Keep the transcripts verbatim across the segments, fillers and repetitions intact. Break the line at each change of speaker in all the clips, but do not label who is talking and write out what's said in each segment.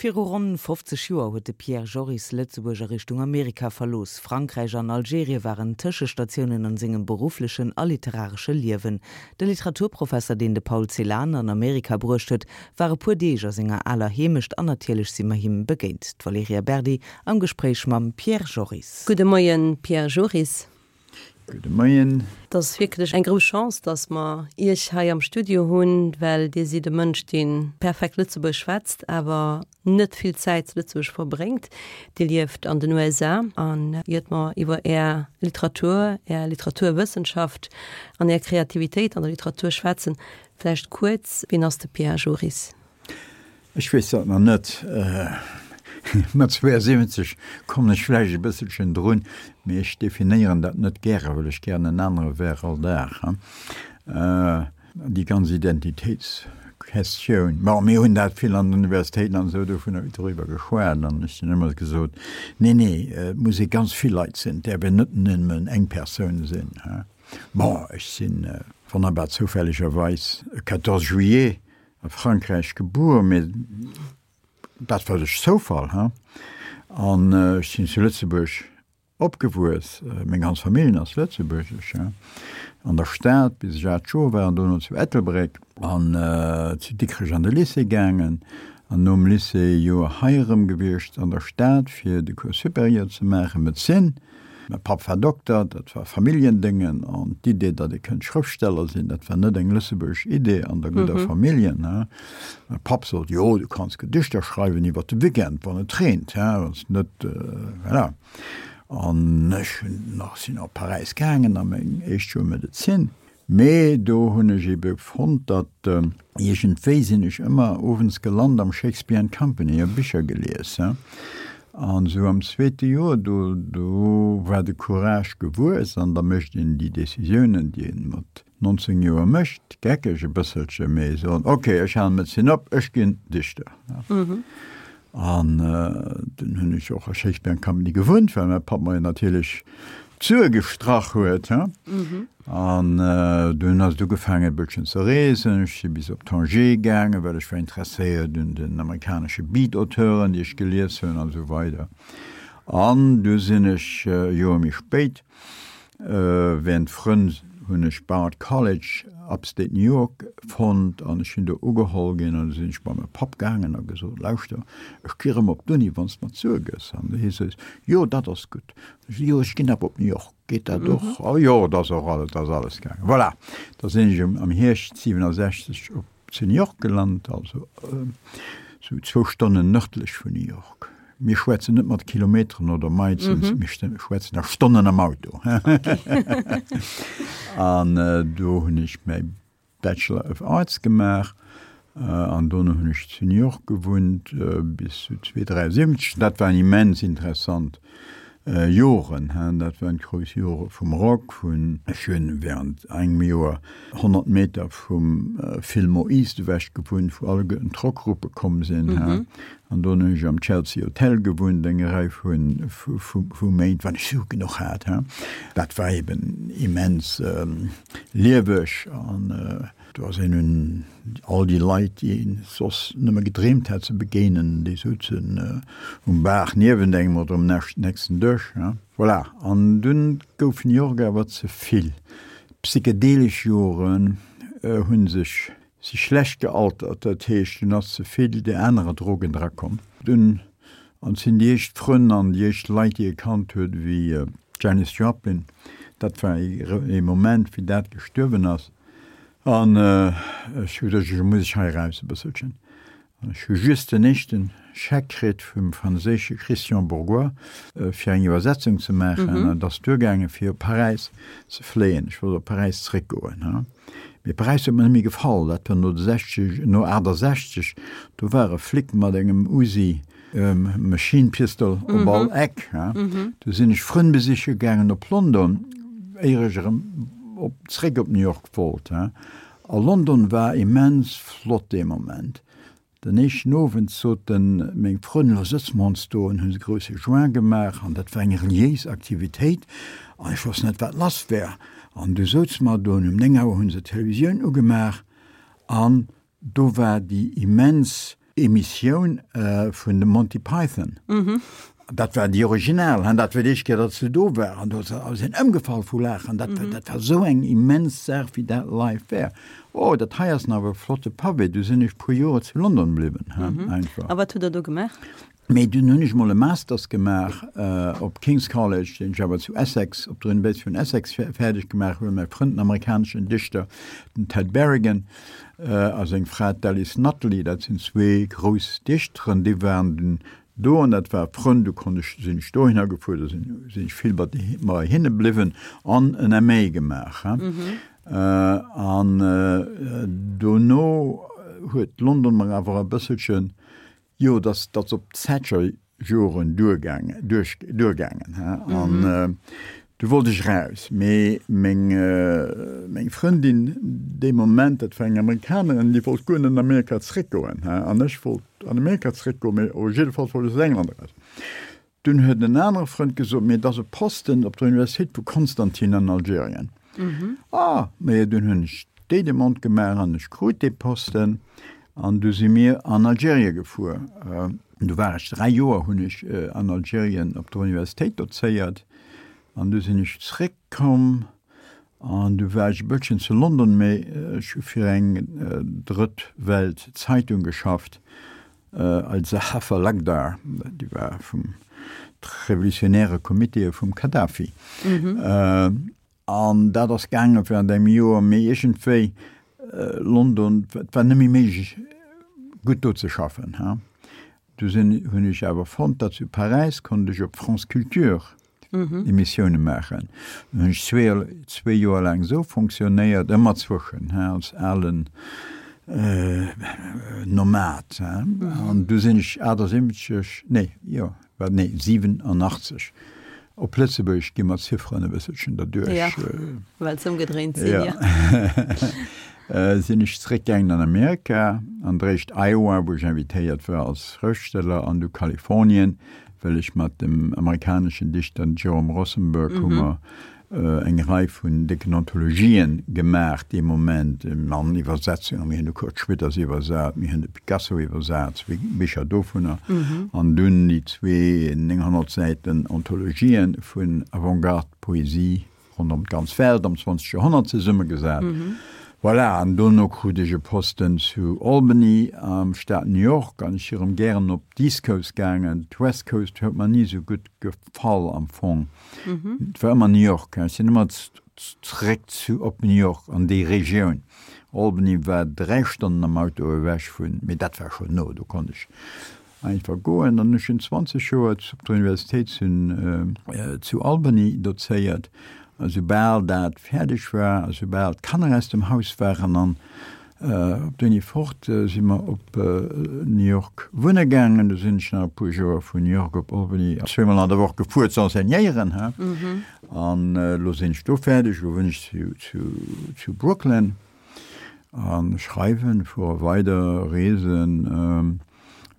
Viru ronn fofzeg Joer huet de Pierre Joris Lëtzebuerg a Richtung Amerika verlooss. Frankräich an Algerien waren Tëschestatiounen an sengem berufflechen a literaresche Liewen. De Literaturprofesser, deen de Paul Celan an Amerika bruecht huet, war e puer Deeg a senger aler Heemecht an natierlech si mer him begéint. D'Valerija Berdi am Gespréich mam Pierre Joris.
Gudde Moien, Pierre Joris.
Gudde Moien.
Et ass wierklech eng grouss Chance, dass mer Iech hei am Studio hunn, well Dir sidd e Mënsch, dee perfekt Lëtzebuergesch schwätzt, awer net vill Zäit zu Lëtzebuerg verbréngt. Dir lieft an den U S A an iert mer iwwer Är Literatur, Är Literaturwëssenschaft an Är Kreativitéit an der Literatur schwätzen, vläicht kuerz, Wien ass de Pierre Joris?
Ech weess dat nach net. Mat zweeasiwwenzeg kommen ech vläicht e bësselchen drun, mee ech definéieren dat net gäre, well ech gären en anere wär all Dag. Déi ganz Identitéitsquestioun, bon, mir hunn dat vill an den Universitéiten an esou dovunner doriwwer geschwat an ech hunn ëmmer gesot, Nee, nee, et muss ee ganz vill Leit sinn, et däerf een net nëmmen eng Persoun sinn. Bon, ech sinn wonnerbar zoufällegerweis e quatorze juillet a Frankräich gebuer, mee dat war duerch Zoufall, he? An ech sinn zu Lëtzebuerg opgewuess, meng ganz Familljen ass lëtzebuergesch, he? An der Stad bis ech aacht Joer war an dono zu Ettelbréck an zu Dikrech an de Lycée gaangen an nom Lycée e Joer hei erëm gewiescht an der Stad fir de Cours supérieur ze maachen, Medezin. Mäi Papp war Dokter, dat war Familljendéngen, an d'Idee, datt ee kënnt Schrëftsteller sinn, dat war net eng lëtzebuergesch Idee an der gudder Familljen, he. Mäi Papp sot, Jo, du kanns Gedichter schreiwen iwwer de Weekend, wann et reent, he, wann s net, voilà. An ech hunn nach, sinn op Paräis gaangen a meng éischt Joer Medezin. Mee do hunn ech ebe fonnt, datt iergendwéi sinn ech ëmmer owends gelant am Shakespeare and Company, hu Bicher gelies. An esou am zweete Joer, do do war de Courage gewuess an da mécht een déi Decisiounen, déi een mat nonzéng Joer mécht, geckeg e bësselche, mee soen, ok, ech halen d'Medezin op, ech ginn Dichter. An dunn hunn ech och a Shakespeare and Company gewunnt, well mäi Papp mer jo natierlech d'Sue gestrach huet. An dunn ass et ugefaangen e bësschen ze reesen. Ech si bis op Tanger gaangen, well ech war interesséiert un den amerikanesche Beat-Auteuren, déi ech gelies hunn an esou weider. An du sinn ech e Joer méi spéit, während Frënn hunn ech Bard College, Upstate New York, fonnt an ech sinn do ugeholl ginn. An du sinn ech bei mäi Papp gaangen a gesot, Lauschter, ech gi rëm op d'Uni, wann s de mer d'Sue gëss. An hie sot, Jo, dat ass gutt. Ech sot, Jo, ech ginn awer op New York, geet dat och? Oh jo, dat ass och alles, dat ass alles gaangen. Voilà, da sinn ech am Hierscht siwenesechzeg op zu New York gelant, also sou zwou Stonnen nërdlech vun New York. Mir schwätzen net mat Kilometeren oder Miles, mir schwätzen a Stonnen am Auto. An do hunn ech mäi Bachelor of Arts gemaach an dono hunn ech zu New York gewunnt bis zu zweedräiundsiwwenzeg. Dat waren immens interessant Joren, dat waren d'grouss Jore vum Rock, vun ech hunn während engem Joer honnert Meter vum Fillmore East ewech gewunnt, wou alleguerten d'Rockgruppe komm sinn. An dono hunn ech am Chelsea Hotel gewunnt eng Rei vu Méint, wann ech Sue genuch hat. Dat war eben immens lieweg an do ass een un all déi Leit, déi een soss nëmme gedreemt hat ze begéinen, déi souzen um Bar niewent engem oder um nächsten Dësch. Voilà, an dunn gouf New York awer ze vill. D'psychedelesch Joren hu sech si schlecht gealtert, dat heescht, dunn ass ze vill déi anerer Drogen drakomm. Dunn an sinn déi éischt Frënn an déi éischt Leit, déi ee kannt huet, wéi d'Janis Joplin, dat war ee Moment, wéi dat gestuerwen ass. An ech hu gesot, elo muss ech hei eraus e bësselchen. An ech hu just den éischte Scheck kritt vum franséische Christian Bourgois, fir eng Iwwersetzung ze maachen. An et ass duergaangen, fir op Paräis ze fléien. Ech wollt op Paräis zréckgoen. Mee Paräis huet mer net méi gefall. Dat war no de sechzeg, no achtesechzeg. Do war e Flic mat engem Uzi Machine Pistol op all Eck. Du sinn ech Frënn besiche gaangen op London, éier ech erëm op zréck op New York wollt. A London war immens flott dee Moment. Den éischten Owend soten meng Frënn, Lo sëtze mer ons do an hunn e grousse Joint gemaach an dat war eng reliéis Aktivitéit an ech wosst net, wat lass wär. An du souze mer do an um néng Auer hu se d'Televisioun ugemaach an do war déi immens Emissioun vun de Monty Python. Dat war déi original, an dat war déi éischt Kéier, datt se do war, an do sinn ëmgefall vu Laachen. Dat, dat war esou eng immens Saach, wéi dat live war. Oh, dat hei ass awer e flotte Pavé. Du sinn ech puer Joer zu London bliwwen, einfach.
A wat hutt Der do gemaach?
Mee dunn hunn ech mol e Masters gemaach op King's College, deen ech awer zu Essex, op der Universitéit vun Essex fäerdeg gemaach hunn. Mäi Frënd, den amerikaneschen Dichter, den Ted Berrigan, a seng Fra, d'Alice Notley, dat sinn zwee grouss Dichteren, déi waren dunn do an dat war Frënn. Du konnt ech, sinn ech dohinner gefuer, do sinn sinn ech vill bei hinne bliwwen an en MA gemaach. An dono huet London mer awer e bësselchen, Jo, dat ass op d'Thatcher-Joren duergaangen, duergaangen, he, an du wollt ech eraus. Mee meng, meng Frëndin dee Moment, dat war eng Amerikanerin, déi wollt guer net an Amerika zeréckgoen, he, an ech wollt an Amerika zeréckgoen, mee op jidde Fall wollt ech aus England eraus. Dunn huet en anere Frënd gesot, mee et ass e Posten op der Universitéit vu Constantine an Algerien. Ah, mee dunn hunn ech déi Demande gemaach an ech krut dee Posten. An du si mir an Algerien gefuer. Du war ech dräi Joer hunn ech an Algerien op der Universitéit dozéiert. An du sinn ech zréckkomm an du war ech e bësschen zu London, mee ech hu fir eng Drëtt Welt Zeitung geschafft, Al-Sahafa Lakhdar, déi war vum revolutionäre Comité vum Kadhafi. An dat ass gaange während engem Joer, mee iergendwéi London, et war net méi méiglech gutt do ze schaffen. Du sinn, hunn ech awer fonnt, datt zu Paräis konnt ech op France Culture Emissioune maachen. Dann hunn ech zwee, zwee Joer laang esou fonctionnéiert, ëmmer zwëschen, als alen Nomad. An du sinn ech achtundsiwwenzeg, nee, jo, wat, nee, siwenunachtzeg Op Lëtzebuergesch gi mer d'Zifferen e bësselchen derduerch.
Ja, well se ëmgedréint sinn,
jo. Sinn ech zeréckgaangen an Amerika, an d'éischt Iowa, wou ech invitéiert war als Schrëftsteller, an du Kalifornien, well ech mat dem amerikaneschen Dichter Jerome Rothenberg hu mer eng Rei vun décken Anthologien gemaach dee Moment, an Iwwersetzungen, mir hunn de Kurt Schwitters iwwersat, mir hunn de Picasso iwwersat, zwee Bicher dovunner, an dunn déi zwee nénghonnert Säiten Anthologien vun Avantgarde-Poesie ronderëm d'ganz Welt am zwanzeg Joerhonnert zesummegesat. Voilà, an dono krut ech e Posten zu Albany am Staat New York an ech si rëm gären op d'East Coast gaangen. D'West Coast huet mer ni esou gutt gefall am Fong. Et war ëmmer New York, ech sinn ëmmer zeréck zu op New York an déi Regioun. Albany war dräi Stonnen am Auto ewech vun, mee dat war schonn no, do konnt ech einfach goen. An ech hunn zwanzeg Joer op der Universitéit zu Albany dozéiert. A soubal dat fäerdeg war a soubal d'Kanner aus dem Haus waren an op d'Uni fort, si mer op New York wunne gaangen. Du sinn ech nach e puer Joer vun New York op Albany zweemol an der Woch gefuer ze enseignéieren. An elo sinn ech do fäerdeg, elo wunn ech zu Brooklyn a schreiwen, fuere weider, reesen,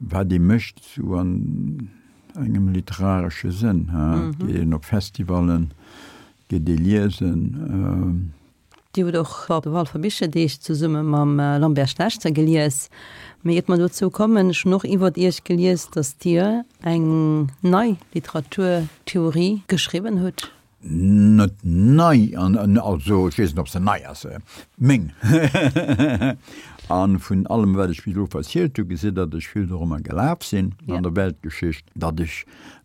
wat ee mécht esou an engem literaresche Sënn. Et geet een op Festivallen. Geet ee liesen.
Dir hutt och op de Walfer Bicherdeeg zesumme mam Lambert Schlechter gelies. Mee iert mer dozou kommen, ech hunn och iwwert Iech gelies, datt Dir eng nei Literaturtheorie geschriwwen hutt.
Net nei, also ech weess net, ob se nei ass, meng. A vun allem, wat ech bis elo verzielt hu, gesitt Der, datt ech vill dorëmmer gelaf sinn an der Weltgeschicht, datt ech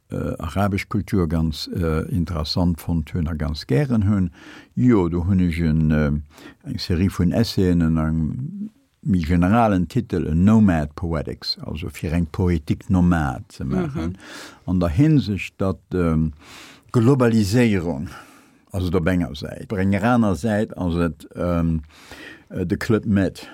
arabesch Kultur ganz interessant fonnt hunn a ganz gären hunn. Jo, do hunn ech eng Serie vun Essayen ënner engem méi generalen Titel, A Nomad Poetics, also fir eng Poétique nomade ze maachen, an der Hinsicht, datt d'Globaliséierung ass et op enger Säit, op enger aner Säit ass et de Club Med.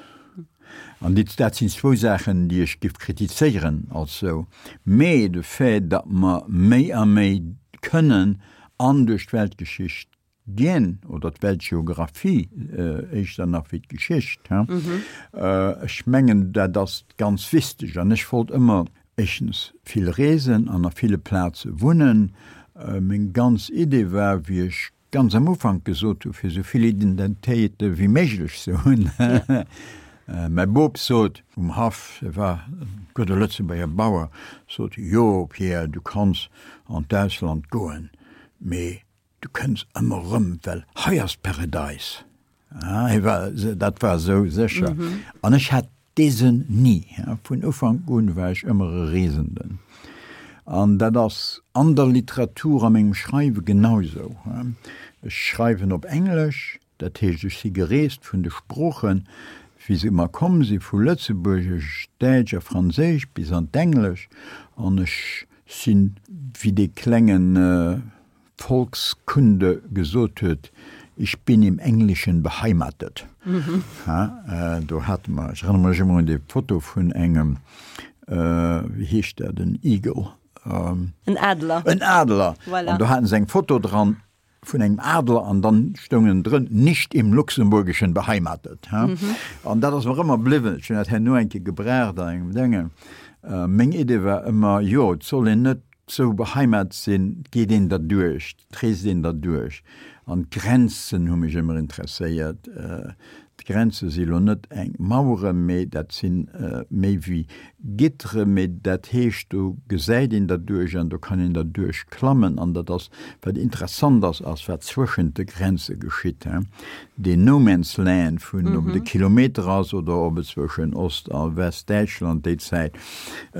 An déi, dat sinn zwou Saachen, déi ech giff kritizéieren als sou. Mee de Fait, datt mer méi a méi kënnen an duerch d'Weltgeschicht ginn, oder d'Weltgeographie éischter nach wéi d'Geschicht, he, ech mengen, dat ass ganz wichteg. An ech wollt ëmmer éischtens vill reesen an a ville Plaze wunnen. Meng ganz Idee war, wéi ech ganz am Ufank gesot hu fir esou vill Identitéite wéi méiglech ze hunn, Mäi Bop sot um Haff, e war e gudde Lëtzebuerger Bauer, sot, Jo, Pierre, du kanns an d'Ausland goen, mee du kënns ëmmer erëm, well hei ass d'Paradäis. Hie war, dat war esou sécher. An ech hat dee Sënn ni. Vun Ufank un war ech ëmmer e Reesenden. An dat ass an der Literatur, a mengem Schreiwe genau esou. Ech schreiwen op Englesch, dat heescht, ech si gereest vun de Sproochen, wéi se mer komm si vu Lëtzebuergesch, Däitsch a Franséisch bis an d'Englesch. An ech sinn, wéi dee klengen Volkskunde gesot huet, Ich bin im Englischen beheimatet. Ha, do hate mer, ech erënnere mech ëmmer un déi Foto vun engem, wéi heescht dat, en Eagle?
En Adler.
En Adler.
Voilà.
An do haten se eng Foto dran vun engem Adler an dann stoung ënnendrën, Nicht im Luxemburgischen beheimatet. Ha. An dat ass mer ëmmer bliwwen. Ech hunn dat herno eng Kéier gebraucht an engem Déngen. Meng Idee war ëmmer, jo, et soll een net sou beheimat sinn, et geet een derduerch, et reest een derduerch. An d'Grenzen hu mech ëmmer interesséiert. D'Grenze si lo net eng Mauere, mee dat si méi wéi Gittere, mee dat heescht, do gesäit een derduerch an do kann een derduerch klammen. An dat ass, wat interessant ass, ass wat zwëschent de Grenze geschitt. Deen No Man's Land vun, ob et e Kilometer ass oder ob et zwëschen Ost a Westdäitschland déi Zäit e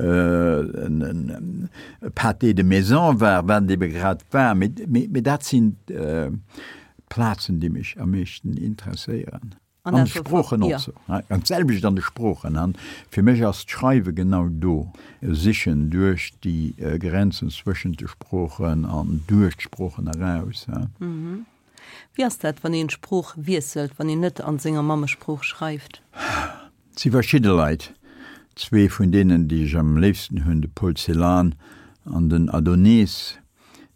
Pâté de maison war, wat et ebe grad war. Mee dat sinn d'Plazen, déi mech am meeschten interesséieren. An de Sproochen och sou. An d'selwecht an de Sproochen. An fir mech ass d'Schreiwe genau do, e Sichen duerch déi Grenzen zwëschent de Sproochen an duerch d'Sproochen eraus.
Wéi ass dat, wann een d'Sprooch wiesselt, wann een net an senger Mammesprooch schreift?
Et si verschidde Leit, zwee vun deenen, déi ech am léifsten hunn, de Paul Celan an den Adonis,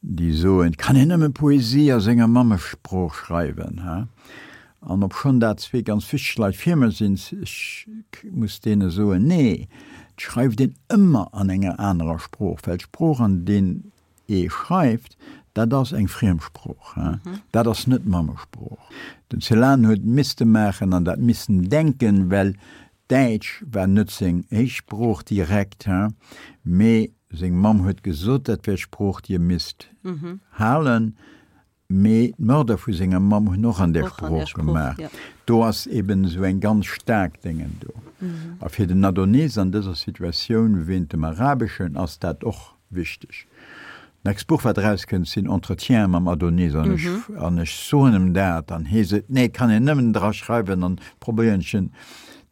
déi soen, et kann een nëmme Poesie a senger Mammesprooch schreiwen. An obschonn dat zwee ganz wichteg Leit fir mech sinn, ech muss deene soen, nee, et schreift een ëmmer an enger anerer Sprooch, well d'Sprooch, an deen ee schreift, dat ass eng Friemsprooch, dat ass net d'Mammesprooch. Den Celan huet misste maachen an dat missen denken, well Däitsch war net seng éischt Sprooch direkt, mee seng Mamm huet gesot, dat wär d'Sprooch, déi e misst halen. Mee d'Mörder vu senger Mamm hunn och an där Sprooch gemaach. Do ass eben esou eng ganz staark Déngen do. A fir den Adonis an dëser Situatioun wéint dem Arabeschen ass dat och wichteg. D'nächst Buch wat erauskënnt sinn Entretiene mam Adonis an ech an ech soen em dat an hie seet, nee et kann een nëmmen dra schreiwen an probéieren ech en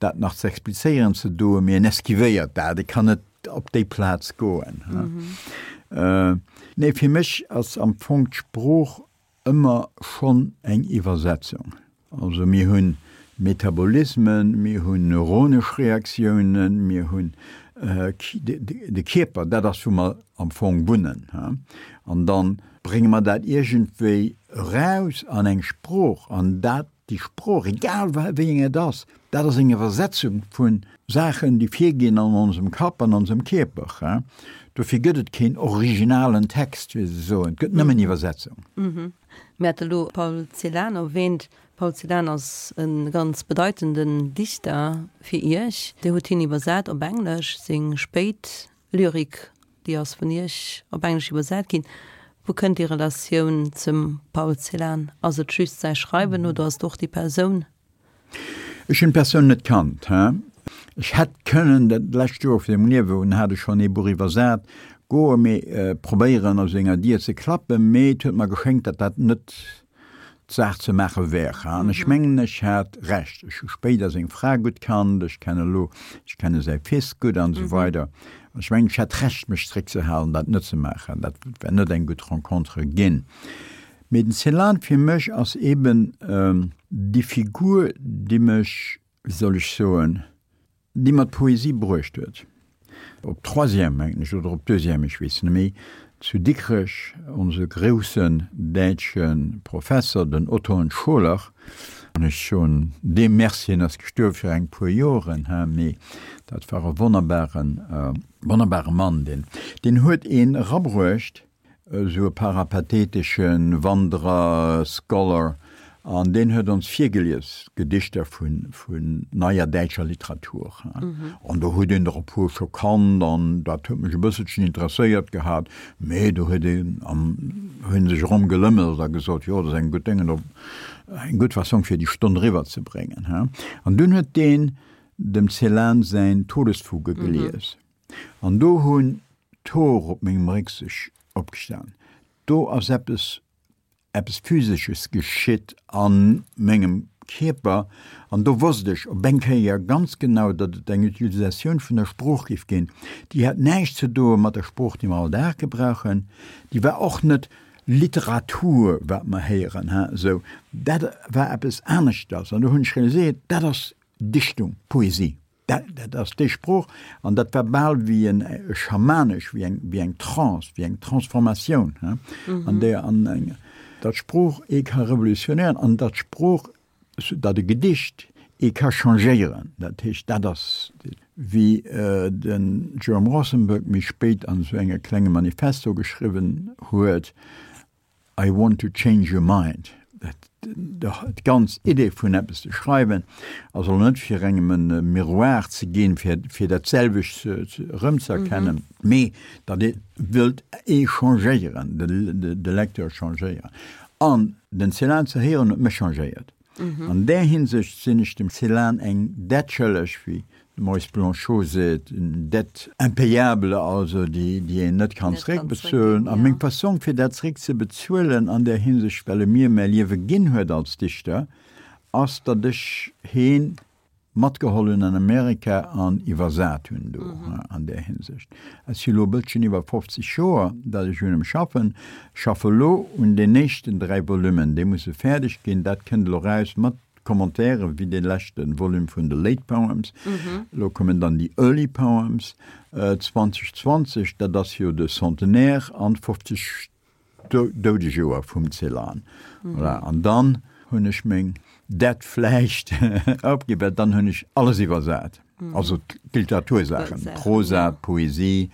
dat nach ze explizéieren ze doen, mee en esquivéiert dat, e kann net op déi Plaz goen. Nee, fir mech ass am Fong d'Sprooch ëmmer schonn eng Iwwersetzung. Also mir hunn Metabolismen, mir hunn neuronesch Reaktiounen, mir hunn de Kierper, dat ass wou mer am Fong wunnen. An da brénge mer dat iergendwéi eraus an eng Sprooch an dat Déi Sprooch, egal wéi eng et ass, dat ass eng Iwwersetzung vu Saachen, déi virginn an onsem Kapp, an onsem Kierper. Dofir gëtt et keen originalen Text, wéi se soen, et gëtt nëmmen Iwwersetzung.
Mir hate lo Paul Celan erwähnt. Paul Celan ass e ganz bedeitenden Dichter fir Iech. Dir hutt hien iwwersat op Englesch, seng spéit Lyrik Déi ass vun Iech op Englesch iwwersat ginn. Wou kënnt déi Relatioun zum Paul Celan? Ass et just säi Schreiwen oder ass et och déi Persoun?
Ech hunn d'Persoun net kannt. Ech hätt kënnen dat lescht Joer vu sengem Liewe hunn hat ech schonn ee Buch iwwersat, goe mee probéieren a senger Dier ze klappen, mee et huet mer geschéngt, datt dat net d'Saach ze maache wär. An ech mengen, ech hat Recht. Ech hu spéider seng Fra gutt kannt, ech kenne elo, ech kenne säi Fils gutt an esou weider. An ech mengen, ech hat Recht, mech zréckzehalen, dat net ze maachen. Dat wär net eng gutt Rencontre ginn. Mee den Celan fir mech ass eeben déi Figur, déi mech, wéi soll ech soen, déi mer d'Poesie bruecht huet. Op Troisième, mengen ech, oder op Deuxième, ech weess net méi, zu Dikrech, onse groussen däitsche Professer, den Otton Scholer, an ech soen deem Merci, hien ass gestuerwe fir eng puer Joren, he, mee dat war e wonnerbaren, wonnerbare Mann, deen, deen huet een erabruecht, esou e parapatheetesche Wanderer, Scholar, An deen huet ons virgelies, Gedichter vun, vun neier däitscher Literatur. Mhm. An do huet een der e puer scho kannt an dat huet mech e bësselchen interesséiert gehat, mee do huet een am, hunn sech erëm gelëmmelt a gesot, jo, dat ass eng gutt Déngen, eng gutt Fassong fir déi Stonn eriwwer ze bréngen. An dunn huet deen dem Celan säin Todesfuge gelies. Mhm. An do hunn d'Hoer op mengem Réck sech opgestan. Do ass eppes eppes Physesches geschitt a mengem Kierper an do wosst ech op eng Kéier ganz genau, datt et eng Utilisatioun vun der Sprooch géif ginn, déi hat näischt ze doe mat der Sprooch, déi mer all Dag gebrauchen, déi war och net Literatur, wat mer héieren, he, esou. Dat war eppes aneschters an do hunn ech realiséiert, dat ass Dichtung, Poesie. Dat, dat ass déi Sprooch an dat war bal wéi en schamanesch, wéi eng, wéi eng Trance, wéi eng Transformatioun, he, an där an eng, datt Sprooch ee ka revolutionéieren an datt Sprooch, datt e Gedicht ee ka changéieren. Dat heescht, dat ass, wéi den Jerome Rosenberg méi spéit an esou enge klenge Manifesto geschriwwen huet, I want to change your mind. D'ganz Idee vun eppes ze schreiwen ass elo net fir engem e Miroir ze ginn, fir fir dat selwecht erëmzëerkennen, mee datt ee wëllt ee changéieren, de Lecteur changéieren. An den Celan ze héieren huet mech changéiert. An där Hinsicht sinn ech dem Celan eng Dett schëlleg, wéi de Maurice Blanchot seet, une dette impayable, also déi, déi een net kann zeréckbezuelen. A meng Fassong fir dat zeréckzebezuelen an där Hinsicht, well e mir mäi Liewe ginn huet als Dichter, ass, datt ech heen matgeholl hunn an Amerika an iwwersat hunn do an där Hinsicht. Et si lo e bësschen iwwer fofzeg Joer, datt ech un em schaffen. Ech schaffe lo un den éischten dräi Volummen, déi musse fäerdeg ginn. Dat kënnt elo eraus mat Commentairen, wéi dee leschte Volume vun de Late Poems. Elo kommen dann déi Early Poems zwanzeg zwanzeg, dat ass jo de Centenaire an d'fofzeg Doudejoer vum Celan. Voilà, an dann hunn ech meng Dett vläicht opginn, well dann hunn ech alles iwwersat, also d'Literatursaachen, d'Prosa, d'Poesie,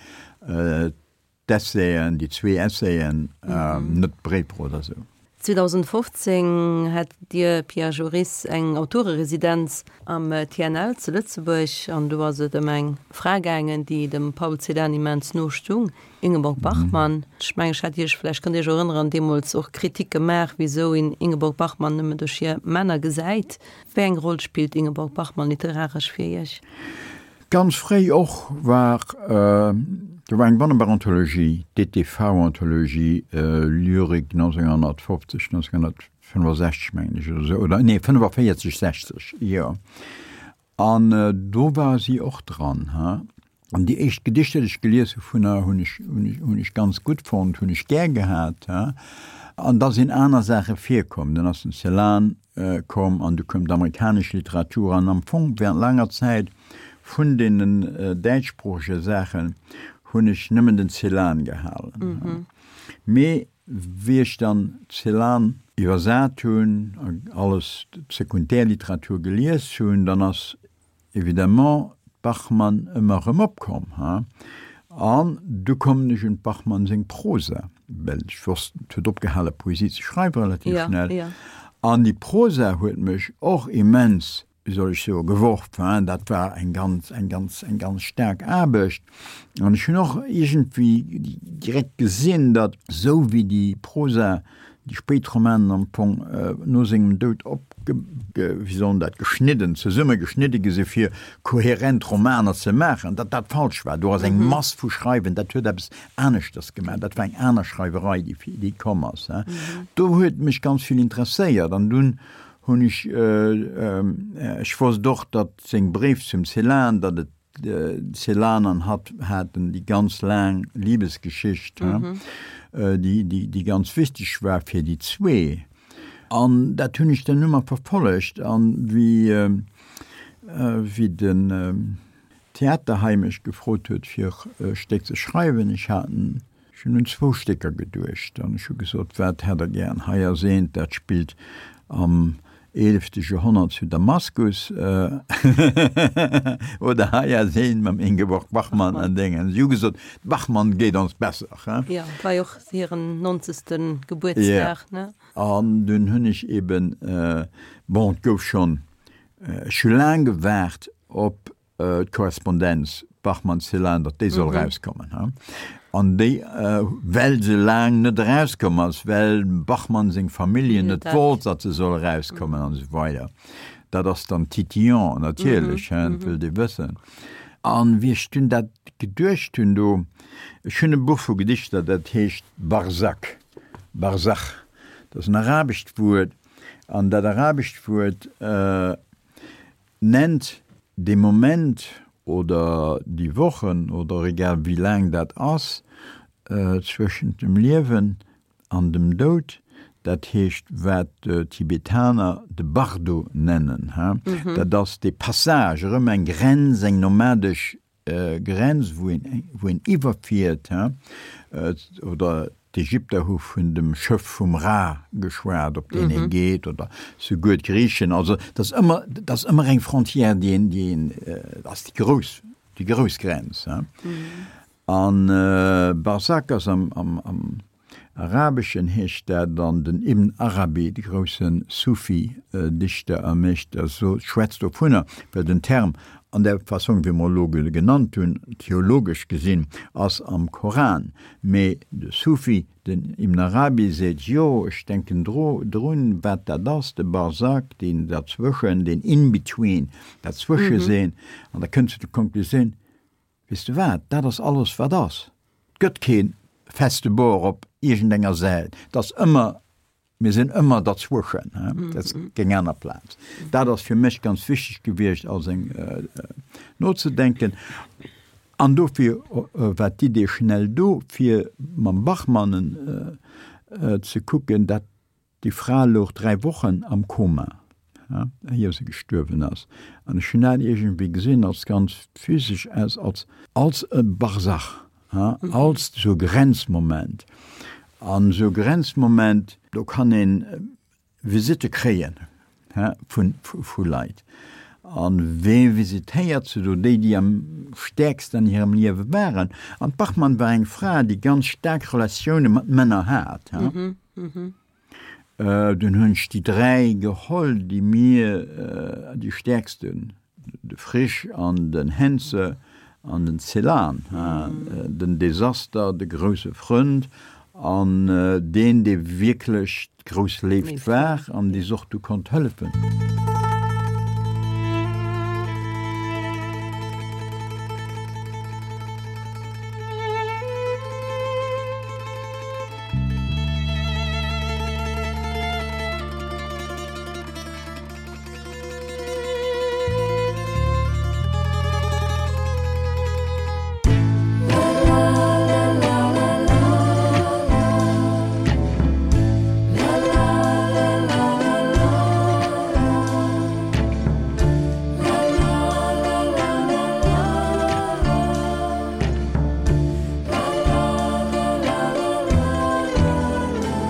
d'Essayen, déi zwee Essayen, net d'Bréifer oder sou.
zweedausendfofzéng hat Dir, Pierre Joris, eng Autoreresidenz am T N L zu Lëtzebuerg an do ass et ëm eng Fra gaangen, déi dem Paul Celan immens no stung, Ingeborg Bachmann. Ech mengen, ech hat Iech, vläicht kënnt Dir Iech erënneren, deemools och Kritik gemaach, wisou een Ingeborg Bachmann nëmmen duerch hir Männer gesäit. Wéi eng Roll spillt Ingeborg Bachmann literaresch fir Iech?
Ganz fréi och war, do war eng wonnerbar Anthologie, D T V-Anthologie, Lyrik nonzénghonnertfofzeg, nonzénghonnertfënnefosechzeg mengen ech oder esou, oder nee, fënnefaviertzeg, sechzeg, jo. An do war si och dran, ha. An déi éischt Gedichter, déi ech gelies hu vun der, hunn ech, hunn ech, hunn ech ganz gutt fonnt, hunn ech gär gehat, ha. An da sinn aner Saache virkomm, dann ass den Celan komm an du koum d'amerikanesch Literatur an am Fong während laanger Zäit vun deenen däitschsproochege Saachen hunn ech nëmmen den Celan gehalen. Mee wéi ech dann Celan iwwersat hunn a alles d'Sekundärliteratur gelies hunn, dann ass évidemment d'Bachmann ëmmer erëm opkomm. An du kommen ech un d'Bachmann seng Prosa, well ech wosst, et huet opgehale Poesie ze schreiwe relativ schnell. An déi Prosa huet mech och immens, wéi soll ech soen, geworf. Dat war eng ganz, eng ganz, eng ganz staark Aarbecht. An ech hunn och iergendwéi direkt gesinn, datt esou wéi déi Prosa, déi spéit Romanen am Fong no sengem Doud opge, wéi soll en dat, geschnidden, zesummegeschnidde gi si fir koherent Romaner ze maachen, datt dat falsch war. Do ass eng Mass vu Schreiwen, dat huet eppes aneschters gemaach, dat war eng aner Schreiwerei, déi, déi komm ass. Do huet mech ganz vill interesséiert an dunn hunn ech, ech wosst och, datt seng Bréif zum Celan, datt et Celan an hatt haten déi ganz laang Libesgeschicht, déi, déi, déi ganz wichteg war fir déi zwee. An dat hunn ech dann ëmmer verfollegt an wéi, wéi den Theater hei mech gefrot huet fir e Stéck ze schreiwen, ech hat en, ech hunn un zwou Stécker geduecht an ech hu gesot, wat hätt der gären? Hei ass eent, dat spillt am eelefte Joerhonnert zu Damaskus oder hei ass een mam Ingeborg Bachmann an Déngen. Si hu gesot, d'Bachmann geet ons besser.
Jo, et war jo och hiren nonzegste Gebuertsdag, ne?
An dunn hunn ech eben, bon, et gouf schonn, ech hu laang gewaart op d'Korrespondenz Bachmann-Celan, datt déi soll erauskommen. An déi, well se laang net erauskomm ass, well dem Bachmann seng Familljen net wollt, datt se soll erauskommen an esou weider. Dat ass dann titillant natierlech, dat wëllt Dir wëssen. An wéi ech dunn dat geduecht hunn do, ech hunn e Buch vu Gedichter, dat heescht Barzakh, Barzakh, dat ass en arabescht Wuert, an dat arabescht Wuert nennt dee Moment oder déi Wochen oder egal wéi laang dat ass, zwëschent dem Liewen an dem Doud, dat heescht wat d'Tibetaner de Bardo nennen, dat ass dee Passage, erëm eng Grenz, eng nomadesch Grenz, wou een, wou een iwwerfiert, oder D'Ägypter hu vun dem Schëff vum Ra geschwat, op deen ee geet, oder souguer d'Griichen. Also et ass ëmmer, et ass ëmmer eng Frontière, déi een, déi een, et ass déi grouss, déi grouss Grenz. An Barzakh ass am, am, am Arabeschen heescht dat dann, den Ibn Arabi, de grousse Sufi-Dichter a Meeschter, sot, schwätzt dovunner, well den Term an där Fassong, wéi mer elo genannt hunn, theologesch gesinn, ass am Koran. Mee de Sufi, den Ibn Arabi seet, Jo, ech denken drun, wat dat ass, de Barzakh, deen derzwëschen, deen in-between, dat Zwëschesinn. An da kënnt se zur Konklusioun, Weess de wat, dat ass alles, wat ass. Et gëtt kee feste Bord op iergendenger Säit. Et ass ëmmer Mir sinn ëmmer derzwëschen, dat ass keng aner Plaz. Dat ass fir mech ganz wichteg gewiescht, als eng nozedenken. An dofir war d'Idee schnell do, fir mam Bachmann ze kucken, dat déi Fra louch dräi Wochen am Koma, éier se gestuerwen ass. An ech hunn dat iergendwéi gesinn als ganz physesch, als als e Barzach. Als esou e Grenzmoment. An esou e Grenzmoment, do kann ee Visitte kréien vu Leit. A wee visitéiert se do? Déi, déi am stäerksten an hirem Liewe waren. An d'Bachmann war eng Fra, déi ganz staark Relatioune mat Männer hat. Dunn hunn ech déi dräi geholl, déi mir déi stäerksten, de Frisch an den Henze an den Celan, den Desaster, de grousse Frënd an deen, dee wierklech d'grouss Léift war an dee s'och du konnt hëllefen.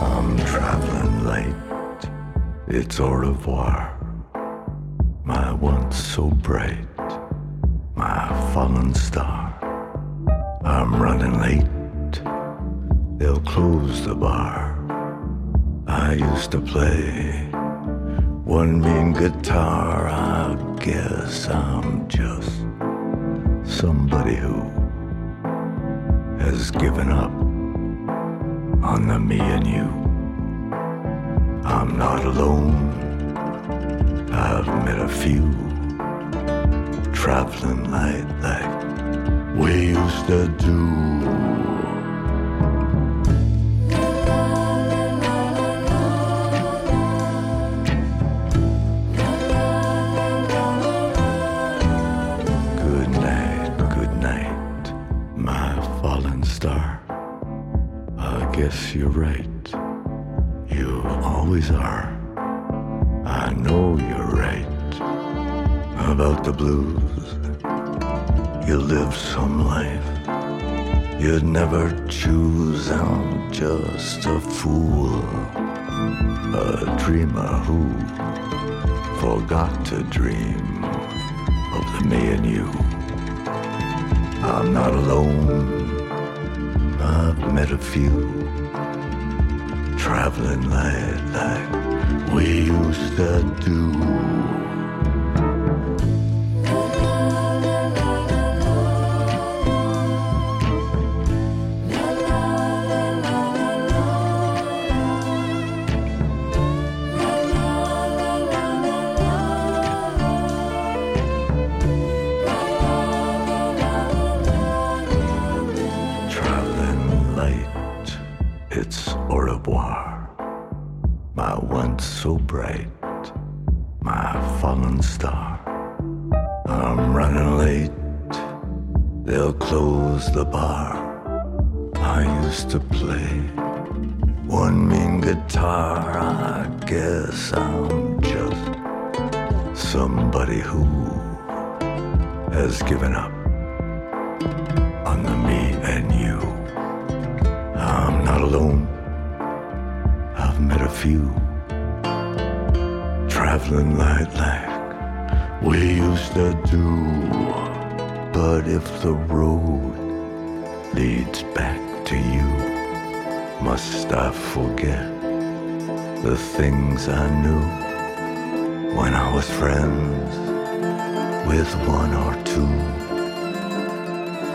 I'm traveling light, it's au revoir, my once so bright, my fallen star. I'm running late, they'll close the bar. I used to play one mean guitar, I guess I'm just somebody who has given up on the me and you. I'm not alone, I've met a few traveling light like we used to do. Good night, good night, my fallen star. I guess you're right, you always are. I know you're right about the blues. You live some life you'd never choose. I'm just a fool, a dreamer who Forgot to dream of the me and you. I'm not alone. I've met a few traveling light like we used to do. Traveling light, it's au revoir. My once so bright, my fallen star. I'm running late, they'll close the bar. I used to play one mean guitar. I guess I'm just somebody who has given up on the me and you. I'm not alone. I've met a few traveling light like we used to do. But if the road leads back to you, must I forget the things I knew when I was friends with one or two?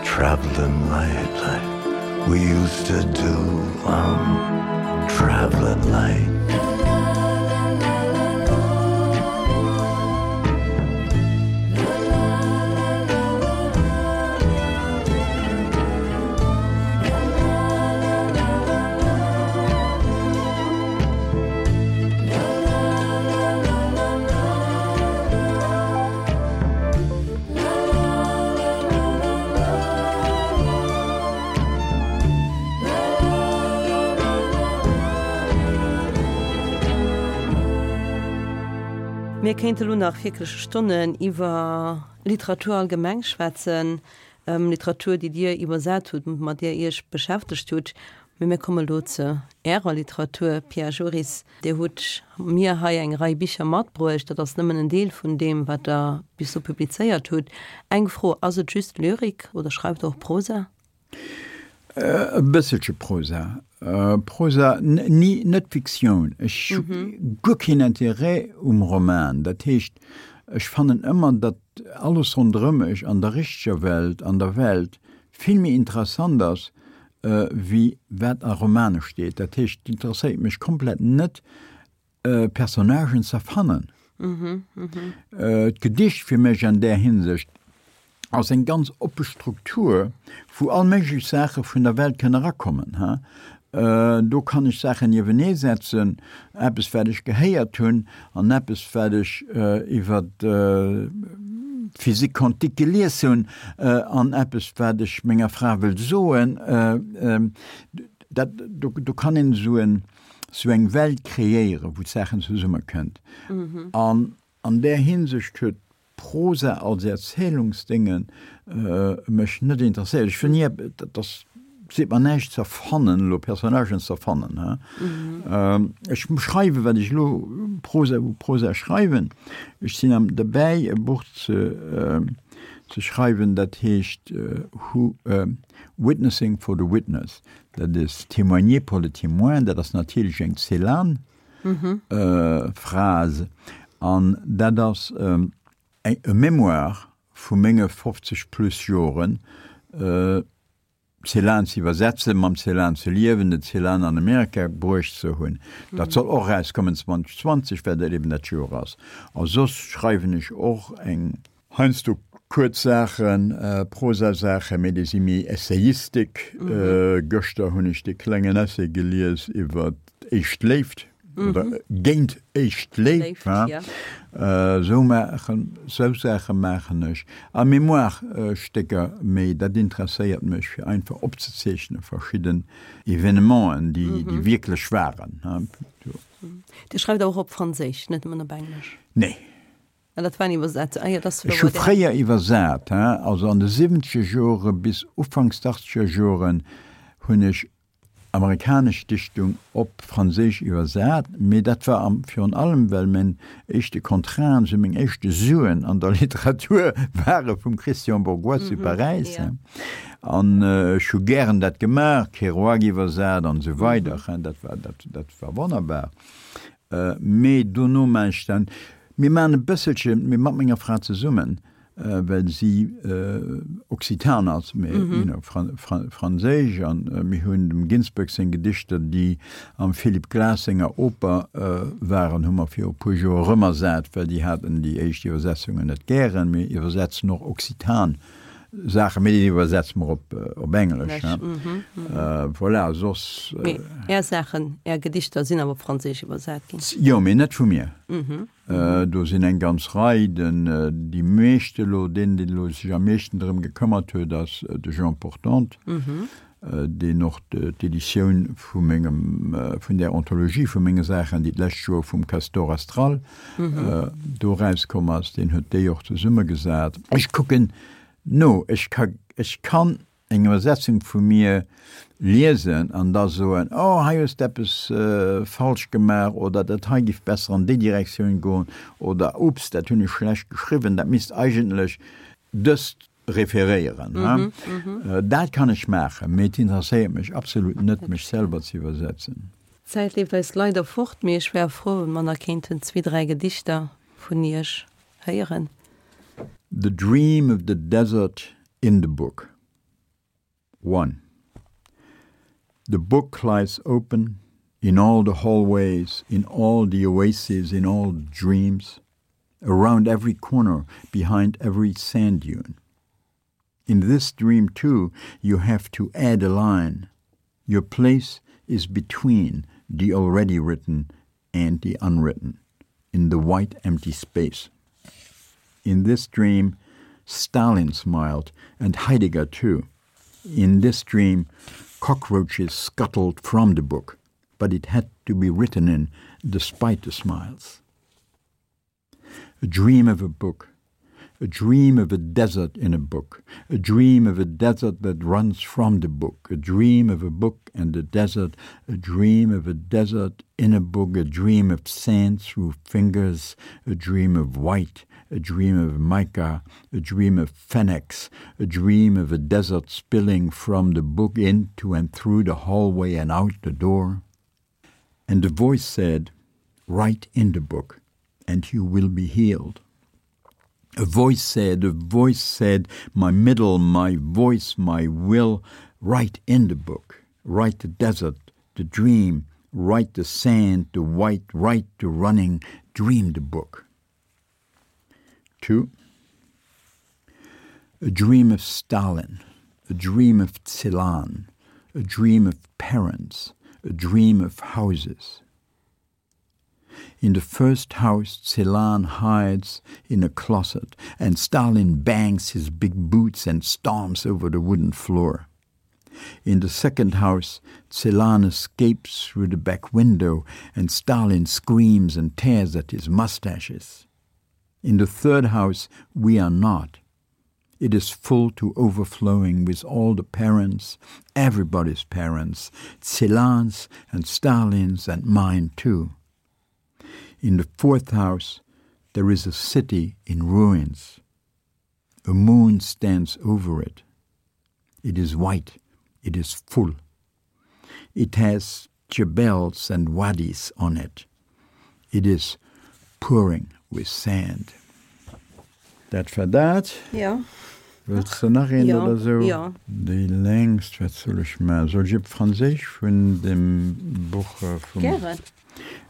Traveling light like we used to do. I'm traveling light.
Mir kéinte lo nach wierklech Stonnen iwwer Literatur allgemeng schwätzen, Literatur, déi Dir iwwersat hutt, mat där Iech beschäftegt hutt. Mee mir komme lo zu Ärer Literatur, Pierre Joris. Dir hutt mir hei eng Rei Bicher matbruecht. Dat ass nëmmen en Deel vun deem, wat Der bis elo publizéiert hutt. Eng Fro, Ass et just Lyrik oder schreift Der och Prosa?
E bësselche Prosa. Prosa, ni, net Fiktioun. Ech hu guer keen Interêt um Roman. Dat heescht, ech fannen ëmmer, datt alles ronderëm mech an der richteger Welt, an der Welt, vill méi interessant ass, wéi wat a Romane steet. Dat heescht, et interesséiert mech komplett net, Personnagen z'erfannen. D'Gedicht fir mech an där Hinsicht ass eng ganz oppe Struktur, wou all méiglech Saache vun der Welt kënne erakommen. Do kann ech Saachen niewenee setzen, eppes wat ech gehéiert hunn an eppes wat ech iwwer d'Physique quantique gelies hunn an eppes wat ech menger Fra wëll soen. Dat, do kann een esou eng Welt kreéieren, wou d'Saachen zesummekënnt. An an där Hinsicht huet Prosa als Erzählungsdinge mech net interesséiert. Ech wëll ni, dat ass, seet mer näischt z'erfannen elo, Personnagen z'erfannen, he. Ech schreiwen, wat ech elo Prosa, u Prosa schreiwen. Ech sinn am derbäi e Buch ze ze schreiwen, dat heescht Who, Witnessing for the Witness. Dat ass Témoigner pour le témoin, dat ass natierlech eng Celan-Phrase. An dat ass e Mémoire vu menge fofzeg plus Joren, Celan ze iwwersetzen, mam Celan ze liewen, den Celan an Amerika bruecht ze hunn. Dat soll och erauskommen zwanzeg zwanzeg, well dat eben dat Joer ass. A soss schreiwen ech och eng, heiansdo kuerz Saachen, Prosasaachen, mee déi si méi Essayistik. Gëschter hunn ech dee klengen Essay gelies iwwer d'éischt Léift. Oder géint éischt Léift, ha? Sou maachen, sou Saache maachen ech. A Mémoire-Stécker, mee dat interesséiert mech, fir einfach opzezeechne verschidden Evenementen, déi, déi wierklech waren, ha.
Dir schreift awer och op Franséisch, net nëmmen op Englesch?
Nee.
Ah, dat waren Iwwersetz-, ah jo, dat ass
Ech hu fréier iwwersat, ha, also an de siwwenzeger Jore bis ufanks d'achtzeger Joren hunn ech amerikanesch Dichtung op Franséisch iwwersat, mee dat war am virun allem well mäin éischte Contraten, sou meng éischte Suen an der Literatur ware vum Christian Bourgois zu Paräis. An ech hu gären dat gemaach, Kerouac iwwersat an esou weider, dat war, dat, dat war wonnerbar. Mee dono maan ech dann, mir maan e bësselche, mee mat menger Fra zesummen, well si Occitan ass, mee you know, Franséisch, an mir hunn dem Ginsberg seng Gedichter, déi am Philip Glass senger Oper waren, hu mer viru puer Joer erëmersat, well déi haten déi éischt Iwwersetzungen net gären. Mir iwwersetzen och Occitan Saachen, mee déi iwwersetze mer op op Englesch, hein. Voilà, soss.
Mee Är Saachen, Är Gedichter sinn awer op Franséisch iwwersat ginn?
Jo, mee net vu mir. Do sinn eng ganz Rei. Den, déi meescht elo, deen, deen elo sech am meeschten drëm gekëmmert huet, ass de Jean Portante, deen och d'Editioun vu mengem, vun där Anthologie vu menge Saachen, déi d'lescht Joer vum Castor Astral do erauskomm ass, deen huet déi och zesummegesat. Ech kucken no, ech ka, ech kann eng Iwwersetzung vu mir liesen an da soen, oh hei hues de eppes falsch gemaach oder dat hei giff besser an déi Direktioun goen oder ups, dat hunn ech schlecht geschriwwen, dat misst eigentlech dëst referéieren. Dat kann ech maachen, mee et interesséiert mech absolut net, mech selwer ze iwwersetzen.
D'Zäit leeft eis leider fort, mee ech wär frou, wa mer nach kéinten zwee, dräi Gedichter vun Iech héieren.
The Dream of the Desert in the Book One The book lies open in all the hallways, in all the oases, in all dreams, around every corner, behind every sand dune. In this dream too, you have to add a line. Your place is between the already written and the unwritten, in the white empty space. In this dream, Stalin smiled, and Heidegger too. In this dream, cockroaches scuttled from the book, but it had to be written in despite the smiles. A dream of a book, a dream of a desert in a book, a dream of a desert that runs from the book, a dream of a book and a desert, a dream of a desert in a book, a dream of sand through fingers, a dream of white, a dream of mica, a dream of fennecs, a dream of a desert spilling from the book into and through the hallway and out the door. And the voice said, Write in the book, and you will be healed. A voice said, a voice said, my middle, my voice, my will, write in the book, write the desert, the dream, write the sand, the white, write the running, dream the book. Two. A dream of Stalin, a dream of Celan, a dream of parents, a dream of houses. In the first house Celan hides in a closet and Stalin bangs his big boots and stomps over the wooden floor. In the second house Celan escapes through the back window and Stalin screams and tears at his mustaches. In the third house we are not. It is full to overflowing with all the parents, everybody's parents, Celan's and Stalin's and mine too. In the fourth house there is a city in ruins. A moon stands over it. It is white, it is full. It has jebels and wadis on it. It is pouring with sand. Dat war dat.
Jo.
Wëlls de nach eent
Jo,
oder sou?
jo.
Déi längst, wat soll ech maachen? Soll ech op Franséisch vun dem Buch vum.
Gären.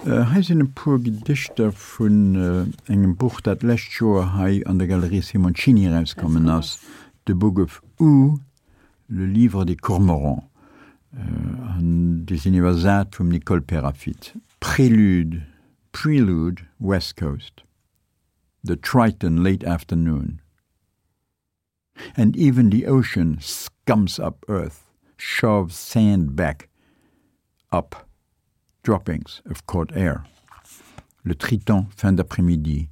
Hei sinn e puer Gedichter vun engem Buch, dat d'lescht Joer hei an der Galerie Simoncini erauskommen ass, The Book of Oo, Le livre des cormorans. An déi sinn iwwersat vum Nicole Peyrafitte. Prélude, Prelude, West Coast. The Triton late afternoon. And even the ocean scums up earth, shoves sand back up, droppings of caught air. Le Triton fin d'après-midi,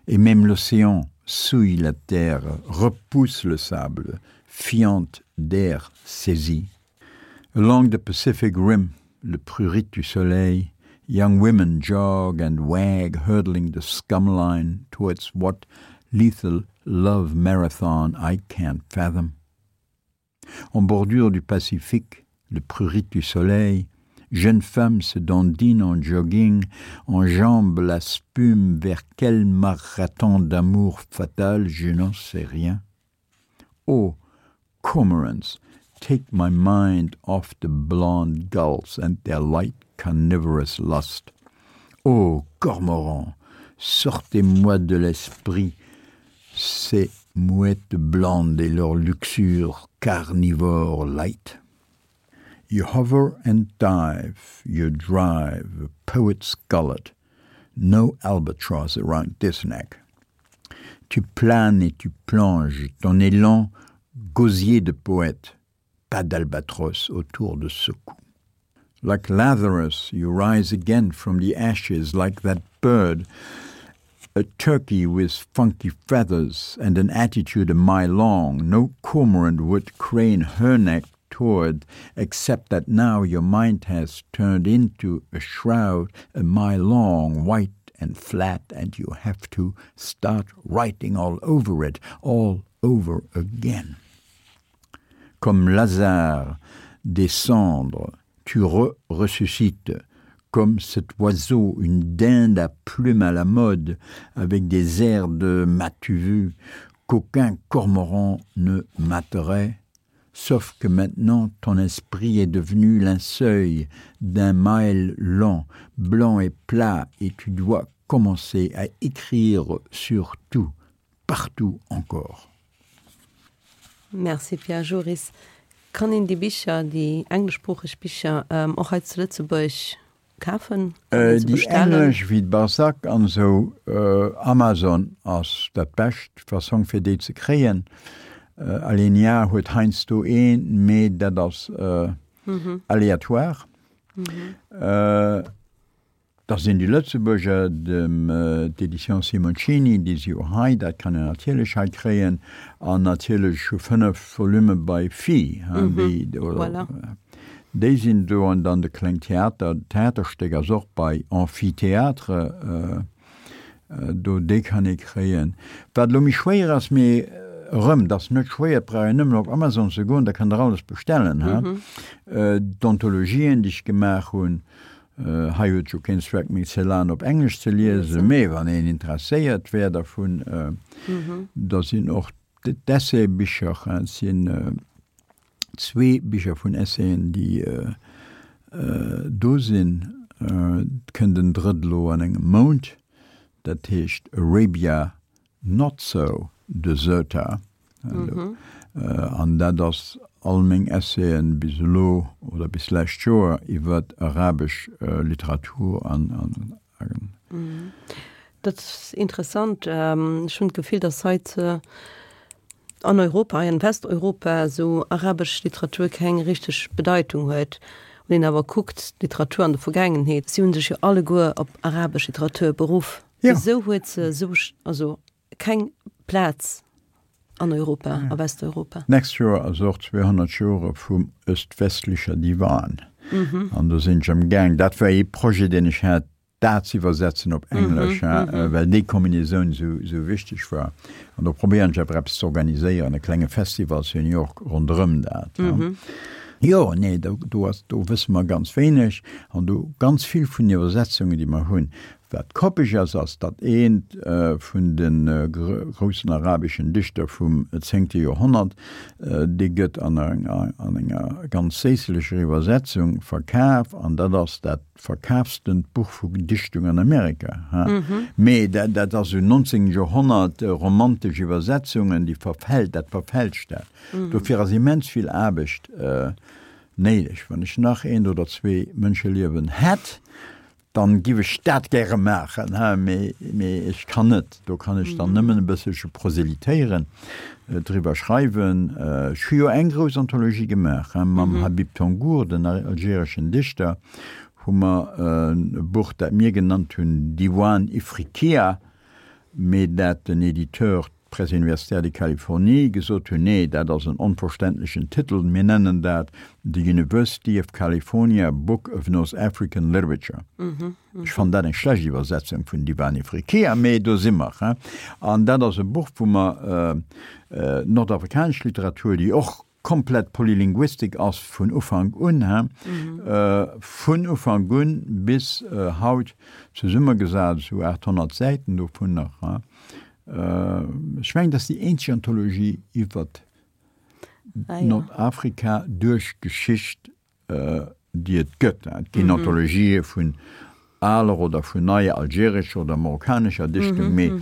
et même l'océan souille la terre, repousse le sable, fiente d'air saisi. Along the Pacific Rim, le prurit du soleil, young women jog and wag, hurdling the scum line towards what lethal love marathon I can't fathom. En bordure du Pacifique, le prurit du soleil, jeunes femmes se dandinent en jogging, enjambent la spume vers quel marathon d'amour fatal, je n'en sais rien. Oh, cormorants, take my mind off the blonde gulls and their light carnivorous lust. Oh, cormorants, sortez-moi de l'esprit ces mouettes blondes et leur luxure carnivore light. You hover and dive, you drive, a poet's gullet, no albatross around this neck. Tu planes et tu plonges, ton élan gosier de poète, pas d'albatros autour de ce cou. Like Lazarus, you rise again from the ashes like that bird, a turkey with funky feathers and an attitude a mile long. No cormorant would crane her neck toward, except that now your mind has turned into a shroud a mile long, white and flat, and you have to start writing all over it, all over again. Comme Lazare des cendres, tu re-ressuscites, comme cet oiseau, une dinde à plumes à la mode, avec des airs de m'as-tu vu, qu'aucun cormoran ne materait, sauf que maintenant ton esprit est devenu linceul d'un mile long, blanc et plat, et tu dois commencer à écrire sur tout, partout encore.
Merci Pierre Joris. Kann een déi Bicher, déi engleschsproocheg Bicher ähm, och hei zu Lëtzebuerg kafen?
Äh, déi englesch wéi Balzac an sou äh, Amazon ass dat bescht Fassong fir déi ze kréien. Äh, Alinea huet heiansdo een, mee dat ass äh, mhm. aléatoire. Mhm. Äh, da sinn déi Lëtzebuerger, dem äh, d'Édition Simoncini, déi si jo hei, dat kann een natierlech hei kréien, an natierlech hu fënnef Volume bei Phi, mhm. déi, oder, voilà. Déi sinn do an dann de Kleng Theater, Theaterstéck ass och bei Amphithéâtre äh, äh, do déi kann ee kréien. Wat lo méi schwéier ass, mee erëm, dat ass net schwéier, et brauch een nëmmen op Amazon ze goen, da kann der alles bestellen. Mhm. Äh, D'Anthologien, déi ech gemaach hunn, äh, hei huet jo keen Zweck méi ze laang op Englesch ze liesen, mee wann een interesséiert wär dervun, äh, mhm. da sinn och d'Essaybicher, et sinn äh, zwee Bicher vun Essayen, déi äh, äh, do sinn, äh, kënnt en drëtt lo an engem Mount, dat heescht Arabia Not So Deserta. Mhm. Äh, an dat ass all meng Essayen bis elo oder bis lescht Joer iwwer arabesch äh, Literatur an, an, an
mhm. Dat ass interessant. Ähm, ech hunn d'Gefill, dass haut äh, an Europa, in Westeuropa sou arabesch Literatur keng richteg Bedeitung huet. Wann een awer kuckt, Literatur an der Vergaangenheet, si hunn sech jo alleguer op arabesch Literatur beruff.
Ja.
Wisou huet se sou, also keng Plaz an Europa, ja. a Westeuropa?
Nächst Joer ass och zweehonnert Jore vum öst-westlicher Diwan. Mhm. An do sinn ech am Gaang. Dat war ee Projet, deen ech hat, dat ze iwwersetzen op Englesch, mm -hmm, mm -hmm. well déi Kombinaitioun sou, sou wichteg war. An do probéieren ech awer eppes ze organiséieren, e klenge Festival zu New York ronderëm dat. Mm -hmm. Jo, nee, do, do, ass, do wësse mer ganz wéineg an do ganz vill vun den Iwwersetzungen, déi mer hunn. Wat koppeg ass, ass, datt eent äh, vun den äh, groussen arabeschen Dichter vum zéngte Joerhonnert, äh, dee gëtt an enger, an enger ganz séisslecher Iwwersetzung verkaf an dat ass dat verkaafstent Buch vu Dichtung an Amerika. Ha? Mhm. Mee dat, dat ass sou nonzéngte Joerhonnert äh, romantesch Iwwersetzungen, déi verfält, dat verfälscht dat. Mhm. Dofir ass immens vill Aarbecht äh, néideg. Wann ech nach eent oder zwee Mënscheliewen hätt, dann giff ech dat gäre maachen, he, mee, mee ech kann net. Do kann ech dann nëmmen e bësselche proselytéieren, driwwer schreiwen. Ech hu jo eng grouss Anthologie gemaach, he, mam Habib Tengour, den algereschen Dichter, hu mer e Buch, dat mir genannt hunn Diwan Ifriqiya, mee dat den Editeur Presse universitaire de Californie gesot hunn, nee, dat ass en onverständlechen Titel, mir nennen dat The University of California Book of North African Literature. Ech fannen dat eng schlecht Iwwersetzung vun Diwan Ifriqiya, mee do si mer. An dat ass e Buch, wou mer nordafrikanesch Literatur, déi och komplett polylinguistik ass vun Ufank un, vun Ufank un bis haut zesummegesat, esou aathonnert Säiten dovunner. Ech mengen, dat ass déi eenzeg Anthologie iwwert Nordafrika duerch d'Geschicht, déi et gëtt. Et ginn Anthologië vun aler oder vun neier algerescher oder marokkanescher Dichtung, mee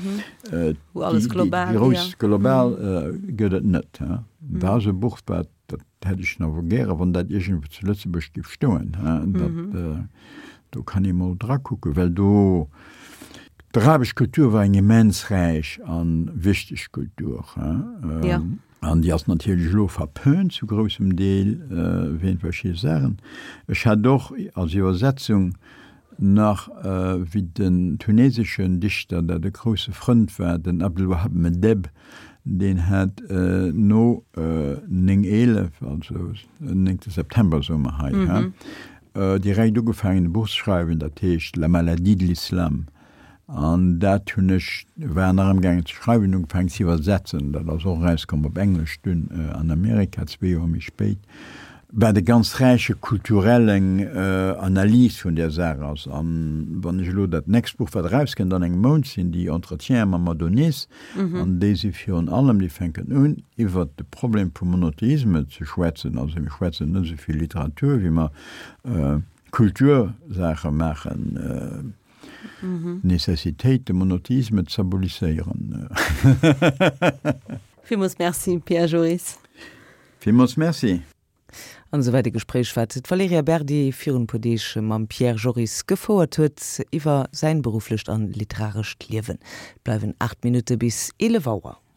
déi grouss global gëtt et net. Dat ass e Buch, wat, dat hätt ech nach gären, wann dat iergendwou zu Lëtzebuerg géif stoen. Dat, do kann ee mol drakucken, well do, d'arabesch Kultur war eng immens räich a wichteg Kultur. An déi ass natierlech elo verpönt zu groussem Deel wéint verschidde Saachen. Ech hat och als Iwwersetzung nach, wéi den tuneseschen Dichter, dat e grousse Frënd war, den Abdelwahab Meddeb, deen hat no néng eelef, also néngte September soe mer hei, direkt ugefaangen e Buch ze schreiwen, dat heescht La maladie de l'islam. An dat hunn ech, war nach amgaangen ze schreiwen, ugefaangen ze iwwersetzen. Dat ass och erauskomm op Englesch dunn an Amerika, zwee Joer méi spéit, wat e ganz räiche kulturellen Analys vun där Saach ass. An wann ech elo dat nächst Buch, wat erauskënnt an engem Mount, sinn déi Entretiene mam Adonis, an déi si virun allem, déi fänken un, iwwert de Problem vum Monotheisme ze schwätzen. Also mir schwätzen net esou vill Literatur, wéi mer Kultursaache maachen. D'Nécessitéit, de Monotheisme z'abolisséieren.
Villmools Merci, Pierre Joris.
Villmools Merci.
An esouwäit e Gespréich, wat d'Valerija Berdi virun e puer Deeg mam Pierre Joris gefouert huet iwwer säin berufflecht an literarescht Liewen. Et bleiwen aacht Minutte bis eelef Auer.